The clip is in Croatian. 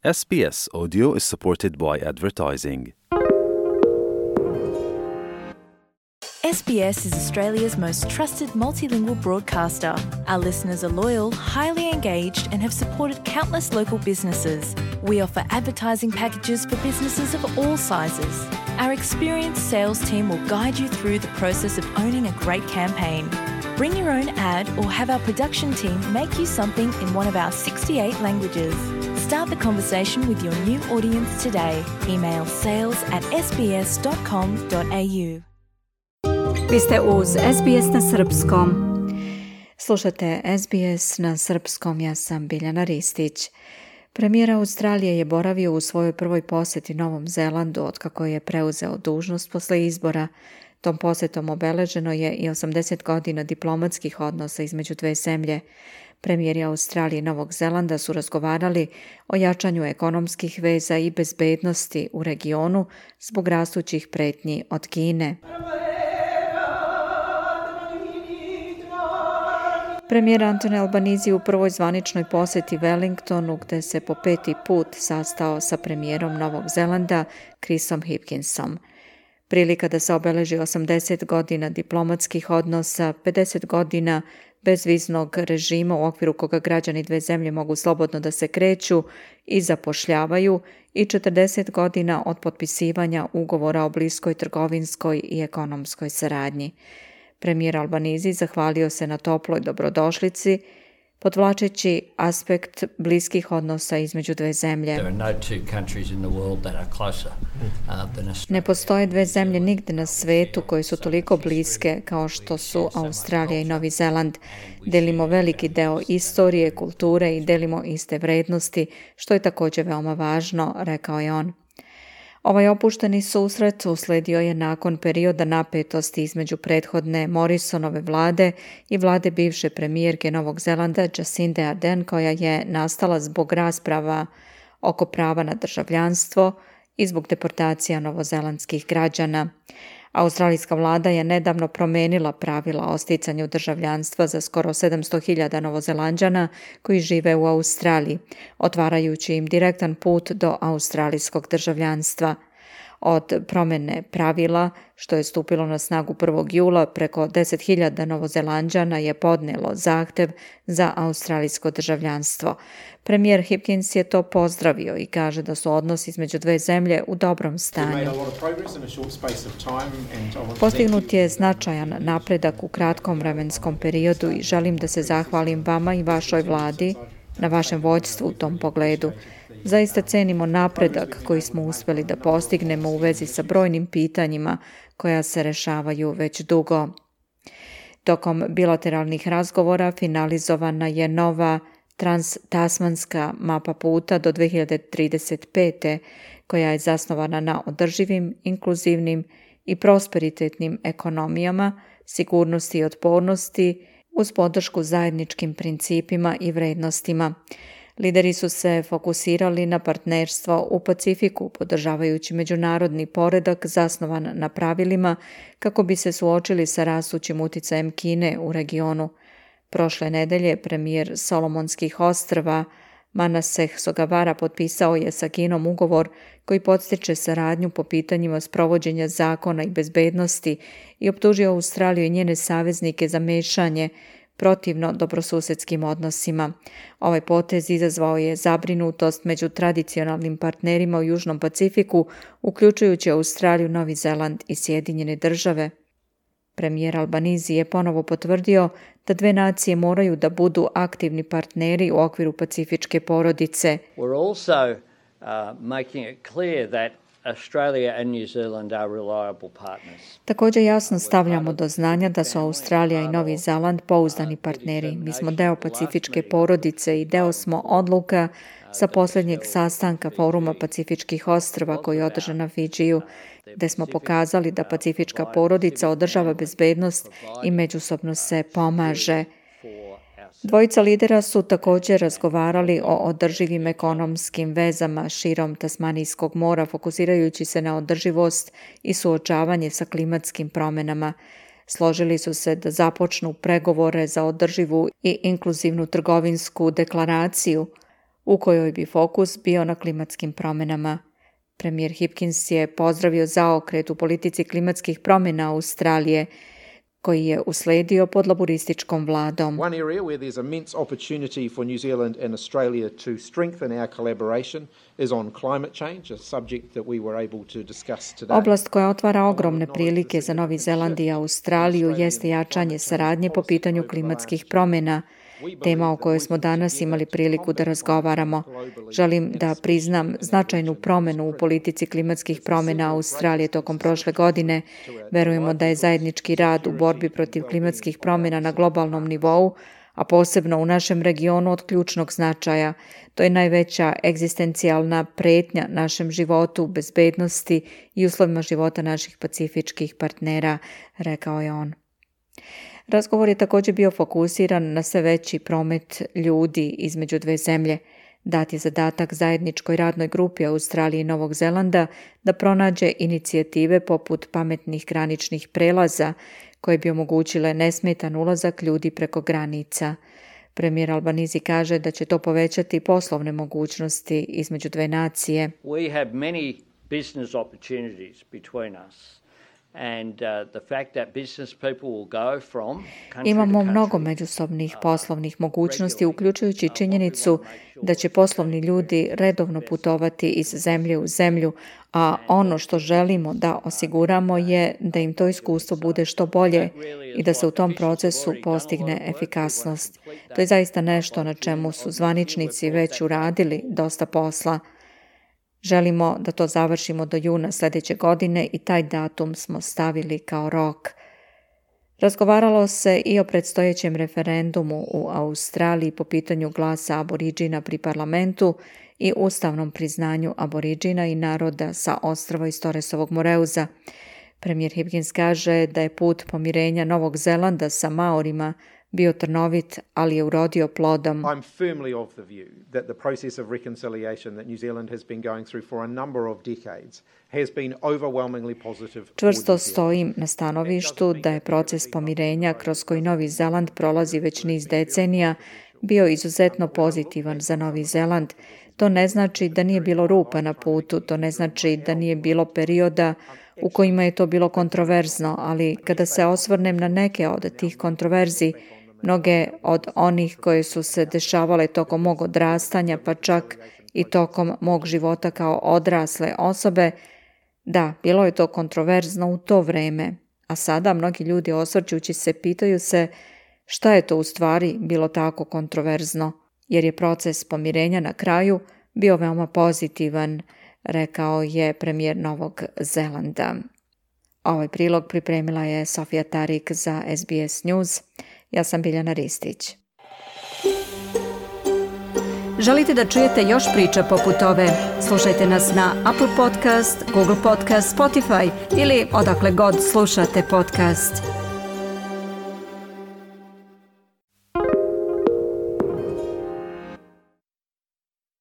SBS Audio is supported by advertising. SBS is Australia's most trusted multilingual broadcaster. Our listeners are loyal, highly engaged, and have supported countless local businesses. We offer advertising packages for businesses of all sizes. Our experienced sales team will guide you through the process of owning a great campaign. Bring your own ad or have our production team make you something in one of our 68 languages. Start the conversation with your new audience today. Email sales@sbs.com.au. Vi ste uz SBS na srpskom. Slušate SBS na srpskom, ja sam Biljana Ristić. Premijer Australije je boravio u svojoj prvoj posjeti Novom Zelandu otkako je preuzeo dužnost posle izbora. Tom posjetom obeleženo je i 80 godina diplomatskih odnosa između dve zemlje. Premijeri Australije i Novog Zelanda su razgovarali o jačanju ekonomskih veza i bezbednosti u regionu zbog rastućih pretnji od Kine. Premijer Anthony Albanese u prvoj zvaničnoj posjeti Wellingtonu, gde se po peti put sastao sa premijerom Novog Zelanda Chrisom Hipkinsom. Prilika da se obeleži 80 godina diplomatskih odnosa, 50 godina bezviznog režima u okviru koga građani dve zemlje mogu slobodno da se kreću i zapošljavaju i 40 godina od potpisivanja ugovora o bliskoj trgovinskoj i ekonomskoj saradnji. Premijer Albanese zahvalio se na toploj dobrodošlici, podvlačeći aspekt bliskih odnosa između dve zemlje. Ne postoje dve zemlje nigde na svetu koje su toliko bliske kao što su Australija i Novi Zeland. Delimo veliki deo istorije, kulture i delimo iste vrednosti, što je također veoma važno, rekao je on. Ovaj opušteni susret usledio je nakon perioda napetosti između prethodne Morrisonove vlade i vlade bivše premijerke Novog Zelanda Jacinde Ardern, koja je nastala zbog rasprava oko prava na državljanstvo i zbog deportacija novozelandskih građana. Australijska vlada je nedavno promenila pravila o sticanju državljanstva za skoro 700.000 Novozelanđana koji žive u Australiji, otvarajući im direktan put do australijskog državljanstva. Od promjene pravila, što je stupilo na snagu 1. jula, preko 10.000 Novozelanđana je podnelo zahtev za australijsko državljanstvo. Premijer Hipkins je to pozdravio i kaže da su odnosi između dve zemlje u dobrom stanju. Postignut je značajan napredak u kratkom vremenskom periodu i želim da se zahvalim vama i vašoj vladi na vašem vođstvu u tom pogledu. Zaista cenimo napredak koji smo uspjeli da postignemo u vezi sa brojnim pitanjima koja se rešavaju već dugo. Tokom bilateralnih razgovora finalizovana je nova transtasmanska mapa puta do 2035. koja je zasnovana na održivim, inkluzivnim i prosperitetnim ekonomijama, sigurnosti i otpornosti uz podršku zajedničkim principima i vrednostima. Lideri su se fokusirali na partnerstvo u Pacifiku, podržavajući međunarodni poredak zasnovan na pravilima kako bi se suočili sa rastućim uticajem Kine u regionu. Prošle nedelje premijer Solomonskih ostrva Manasseh Sogavara potpisao je sa Kinom ugovor koji podstiče saradnju po pitanjima sprovođenja zakona i bezbednosti i optužio Australiju i njene saveznike za mešanje protivno dobrosusedskim odnosima. Ovaj potez izazvao je zabrinutost među tradicionalnim partnerima u Južnom Pacifiku, uključujući Australiju, Novi Zeland i Sjedinjene Države. Premijer Albanese je ponovo potvrdio da dve nacije moraju da budu aktivni partneri u okviru pacifičke porodice. We're also making it clear that Australia and New Zealand are reliable partners. Također jasno stavljamo do znanja da su Australija i Novi Zeland pouzdani partneri. Mi smo deo pacifičke porodice i deo smo odluka sa posljednjeg sastanka Foruma Pacifičkih ostrva koji je održan na Fidžiju, gde smo pokazali da pacifička porodica održava bezbednost i međusobno se pomaže. Dvojica lidera su također razgovarali o održivim ekonomskim vezama širom Tasmanijskog mora, fokusirajući se na održivost i suočavanje sa klimatskim promjenama. Složili su se da započnu pregovore za održivu i inkluzivnu trgovinsku deklaraciju, u kojoj bi fokus bio na klimatskim promjenama. Premijer Hipkins je pozdravio zaokret u politici klimatskih promjena Australije, koji je usledio pod laborističkom vladom. One area where there's immense opportunity for New Zealand and Australia to strengthen our collaboration is on climate change, a subject that we were able to discuss today. Oblast koja otvara ogromne prilike za Novi Zeland i Australiju jeste jačanje saradnje po pitanju klimatskih promjena, tema o kojoj smo danas imali priliku da razgovaramo. Želim da priznam značajnu promjenu u politici klimatskih promjena Australije tokom prošle godine. Verujemo da je zajednički rad u borbi protiv klimatskih promjena na globalnom nivou, a posebno u našem regionu, od ključnog značaja. To je najveća egzistencijalna pretnja našem životu, bezbednosti i uslovima života naših pacifičkih partnera, rekao je on. Razgovor je također bio fokusiran na sve veći promet ljudi između dve zemlje. Dat je zadatak zajedničkoj radnoj grupi Australije i Novog Zelanda da pronađe inicijative poput pametnih graničnih prelaza koje bi omogućile nesmetan ulazak ljudi preko granica. Premijer Albanese kaže da će to povećati poslovne mogućnosti između dve nacije. We have many business opportunities between us. And the fact that business people will go from country Imamo to country. mnogo međusobnih poslovnih mogućnosti, uključujući činjenicu da će poslovni ljudi redovno putovati iz zemlje u zemlju, a ono što želimo da osiguramo je da im to iskustvo bude što bolje i da se u tom procesu postigne efikasnost. To je zaista nešto na čemu su zvaničnici već uradili dosta posla. Želimo da to završimo do juna sljedeće godine i taj datum smo stavili kao rok. Razgovaralo se i o predstojećem referendumu u Australiji po pitanju glasa Aboriđina pri parlamentu i ustavnom priznanju Aboriđina i naroda sa ostrva iz Torresovog Moreuza. Premijer Hipkins kaže da je put pomirenja Novog Zelanda sa Maorima bio trnovit, ali je urodio plodom. I'm firmly of the view that the process of reconciliation that New Zealand has been going through for a number of decades has been overwhelmingly positive. Čvrsto stojim na stanovištu da je proces pomirenja kroz koji Novi Zeland prolazi već niz decenija bio izuzetno pozitivan za Novi Zeland. To ne znači da nije bilo rupa na putu, to ne znači da nije bilo perioda u kojima je to bilo kontroverzno, ali kada se osvrnem na neke od tih kontroverzi, mnoge od onih koje su se dešavale tokom mog odrastanja, pa čak i tokom mog života kao odrasle osobe, da, bilo je to kontroverzno u to vreme. A sada mnogi ljudi osvrćući se pitaju se šta je to u stvari bilo tako kontroverzno, jer je proces pomirenja na kraju bio veoma pozitivan, rekao je premijer Novog Zelanda. Ovaj prilog pripremila je Sofija Tarik za SBS News. Ja sam Biljana Ristić. Želite da čujete još priča poput ove? Slušajte nas na Apple Podcast, Google Podcast, Spotify ili odakle god slušate podcast.